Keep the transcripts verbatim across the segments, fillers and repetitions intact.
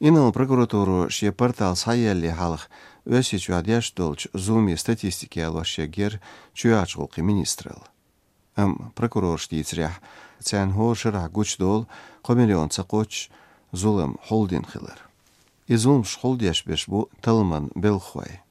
Инарла прокуратуро шен портал схьаеллале хьалха Оьрсийчохь деш долчу зуламийн статистика ялош яггара чоьхьарчу гӀуллакхийн министралла. Амма прокурорша дийцарехь, царна хӀора шарахь гучудолу кхо миллион ца кхоччуш зулам хьулдина хилар. И зуламаш хьулдеш берш бу талламан белхахой.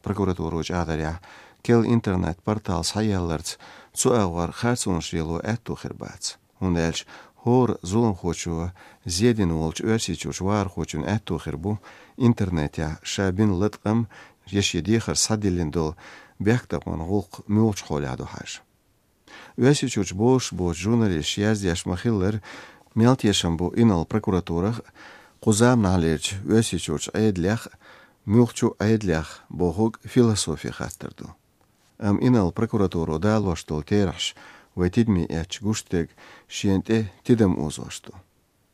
Прокуратуро чӀагӀдарехь, керла интернет-портал схьаялларца цу агӀор харцонаш лело аьтто хир бац, хӀунда аьлча хӀора зуламхочо зе дина волчу Оьрсийчуьрчу вахархочун аьтто хир бу интернетехь ша бина латкъам я шен дехар схьадиллина долу бехктакхаман гӀуллакх муьлхачу хьолехь ду хьажа. Оьрсийчуьрчу бозуш боцу журналисташа яздеш ма-хиллара, мел тешам бу инарла прокуратурах а, кху заманахьлерчу Оьрсийчуьрчу Ӏедалех а, муьлххачу Ӏедалех бохург философин хаттар ду. Амма инарла прокуратуро далош долу терахьаш вайн тидаме эцча гуш дерг шена тӀе тидам озош ду.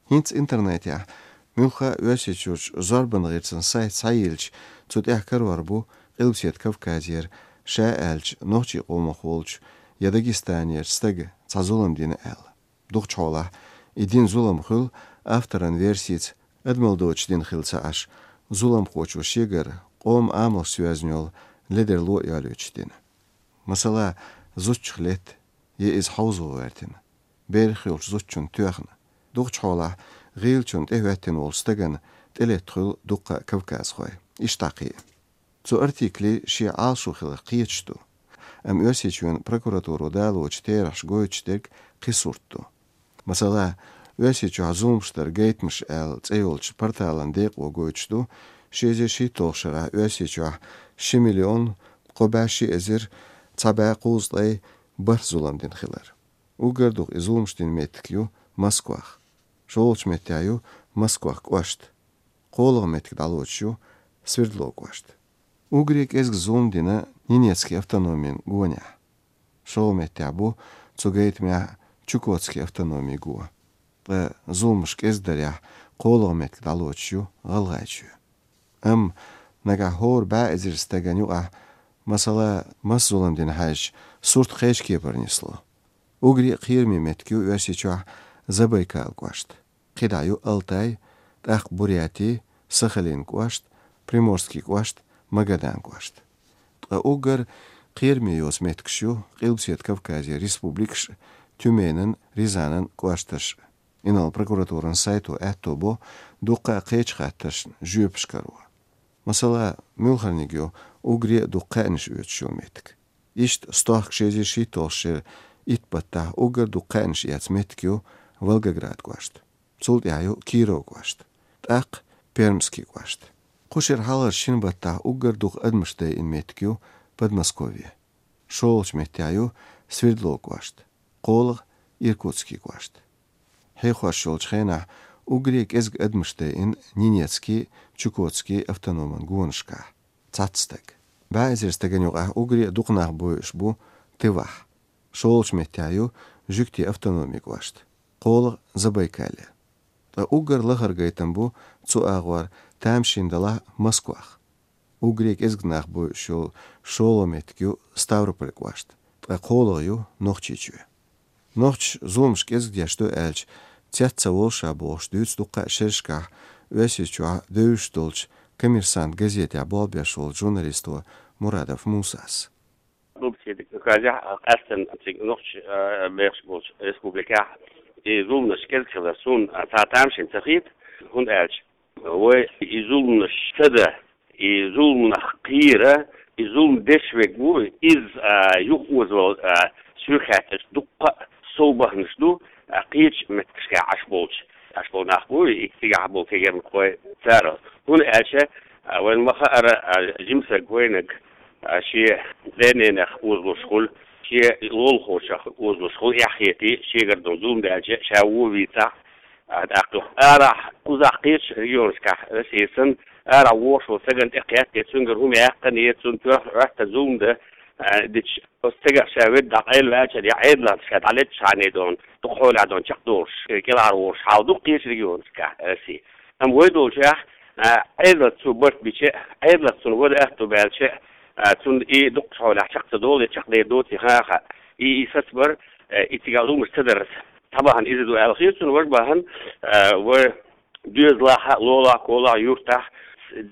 ХӀинца интернетехь муьлхха а Оьрсийчуьрчу зорбанан гӀирсан сайт схьайиллича, цу тӀехь карор бу Къилбаседа Кавказера, ша аьлча, нохчийн къомах волчу я Дагестанерчу стага цхьа зулам дина аьлла. Дукхачу хьолахь и дина зулам хуьлу, авторан версица, адамал доцуш дина хилла ца Ӏаш, зуламхочо шегара къоман амалш соьзна йолу ледарло а йолуьйтуш дина. Масала, зудчух летта, я иза хьовзо гӀоьртина, берах йолчу зудчунна тоьхна, дукхачу хьолахь гӀийлачунна тӀехӀоьттина волчу стагана тӀелетта хуьлу дуккха а кавказхой. Иштта кхин а. Цу артиклийн шен Ӏалашо хиларх кхеташ ду. Амма Оьрсийчоьнан прокуратуро далочу терахьаша гойтуш дерг кхин сурт ду. Масала, Оьрсийчохь зуламаш дара гайтамаш аьлла цӀе йолчу порталан декъо гойтуш ду, ши эзар шийтталгӀачу шарахь Оьрсийчохь ши миллион кхо бӀе ши эзар цхьа бӀе кхузткъе бархӀ зулам дина хилар. Уггар дукха и зуламаш дина меттиг ю Москвах. ШолгӀачу меттехь ю Москвах кӀошт. КхоалгӀа меттиг дӀалоцуш ю Свердлов кӀошт. Уггаре кӀезиг зулам дина Ненецкий автономин гонехь. ШолгӀа меттехь бу цу гайтамехь Чукотский автономин го. Ткъа зуламаш кӀезиг дарехь, кхоалгӀа меттиг дӀалоцуш ю ГӀалгӀайчоь. Амма нагахь хӀора бӀе эзар стагана юкъахь, масала, маса зулам дина хьаьжча, сурт кхечу кепара нисло. Уггаре а кхераме меттиг ю Оьрсийчохь Забайкал кӀошт. КхидӀа ю Алтай, тӀаккха Буряти, Сахалин кӀошт, Приморский кӀошт, Магадан кӀошт. Ткъа уггар кхераме йоцу меттигаш ю Къилбаседа Кавказера республикаш, Тюменан, Рязанан кӀошташ. Инарла прокуратуран сайто аьтто бо дуккха а кхечу хаттаршна жоьпаш каро. Масала, муьлхарниг ю уггаре а дукха кхаьънаш оьцуш йолу меттиг. Иштта стохка ши эзар шийтталгӀачу шеран итт баттахь уггар дукха кхаьънаш эцна меттиг ю Волгоград кӀошт. Цул тӀаьхьа ю Киров кӀошт. ТӀаккха Пермский кӀошт. Кху шеран хьалхарчу шина баттахь уггар дукха адамаш дайина меттиг ю Подмосковье. ШолгӀачу меттехь ю Свердлов кӀошт. КхоалгӀа Иркутский кӀошт. Хьехош йолчу хенахь уггаре кӀезиг адамаш дайина Ненецкий, Чукотский автономан гонашкахь. Цхьацца стаг. БӀе эзар стагана юкъахь уггаре а дукха нах бойуш бу Тывахь. ШолгӀачу меттехь ю Жуьгтийн автономин кӀошт. КхоалгӀа Забайкалье. Ткъа уггар лахара гайтам бу цу агӀор тамашийна далахь Москвах. Уггаре кӀезиг нах бойуш йолу шолгӀа меттиг ю Ставрополь кӀошт, ткъа кхоалгӀа ю Нохчийчоь. Нохчаша зуламаш кӀезиг деш ду аьлча, цец ца волу ша бохуш дуьйцу дуккха а шерашкахь Оьрсийчохь девзаш долчу «Коммерсант» газетехь болх беш волчу журналисто Мурадов Мусас. Къилбаседа Кавказехь, а, къаьсттина цига нохчаша, а, бехаш болчу республикехь и зуламаш кӀезиг хилар суна, а, цхьа тамашийна ца хета, хӀунда аьлча вай и зуламаш ца дан, и зуламнах кхера, и зулам деш верг ву, иза, а, юхаозавала, а, суьрхаьтташ дуккха а сов баханаш ду, а, кхечу меттигашкахь Ӏаш болчу, Ӏаш болу нах бу, и цигахь болу кегирнакхой цара. ХӀунда аьлча, а, вайна ма-хаъара, а, жимсаг вайнаг, а, шен ден-ненах озалуш хуьлу, шен лулахочух озалуш хуьлу, эхь хетий, шегара долу зулам даьлча, ша вон вийцахь, а, тӀаккха арахь, кхузахь кхечу регионашкахь, Россия санна, арахь вогӀуш волу стагана тӀекхетта, я цуьнгара хӀума яьккхина, я цунна тоьхна Ӏоьттина зулам дан, а, дича, оцу стагах ша ведда дӀакъайлаваьлча, я Ӏедалан ша дӀалетта шаьш дон, дукха хьолехь дон чекхдолуш, кӀелхьарвогӀуш хьал ду кхечу регионашкахь Россия. Амма вай долчохь, а, Ӏедалца цо барт бича, Ӏедалца цунна вада аьтто баьлча, а, цунна и дукхачу хьолехь чекх ца долу, я чекхдер доций хан а хаьа. И, и сацабар, а, и цигахь зуламаш ца дарца цхьа бахьана иза ду аьлла хета суна, важа бахьана, а, вай Доьзалахь, лолахь, колахь, юртахь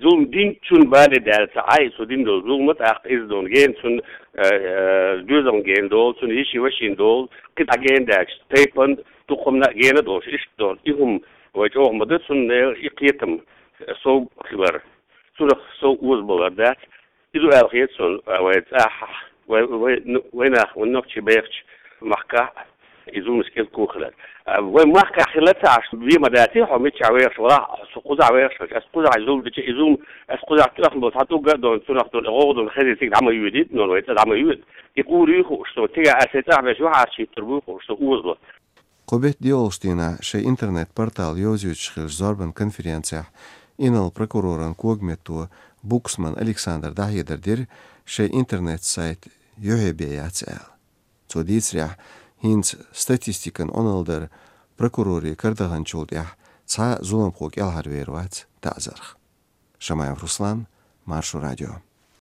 зулам динчун бале даьлла ца Ӏай, цо дина долу зулам, тӀаккха иза долу гена цунна, э, э, доьзална гена долу, цунна йишин вашин долу, кхин дӀа гена даьлча, тайпана, дукха хӀуманна а гена долуш, иштта долу. И хӀума вай чӀогӀа ма ду, цунна и кхетам сов хилар. Цунах сов озабалар дац. Иза аьлла хета суна, а, вай цӀахь, вай, вай, ну, вай нах, вай нохчий бехачу махкахь, и зуламаш кӀезиг хилар. А, вай махкахь хилла ца Ӏаш, вен ма дац, хьо миччахь вехаш валахь, со кхузахь вехаш вац, ас кхузахь зулам дича, и зулам, ас кхузахь тӀехна болу цхьа тӀугга а дона, цунах долу гӀовгӀа дона хезий цига дӀа ма йоьдий, нон вай цӀа дӀа ма йоьду. И кхура юй хууш суна, цига ас вай цӀахь беш юхьӀаьржа хӀиттар буй хууш суна озабо. Кху беттан доьалгӀачу дийнахь шайн интернет-портал йовзуьйтуш хиллачу зорбан конференцехь инарла прокуроран когаметто Буксман Александра дӀахьедар дира, шайн интернет-сайт юьхье бен яц аьлла. Цо дийцарехь, хӀинца статистикан Ӏуналла дар прокурорийн кара даханчул тӀаьхьа цхьа а зуламхо кӀелхьарвер вац таӀзарх. Шамаев Руслан, Маршо радио.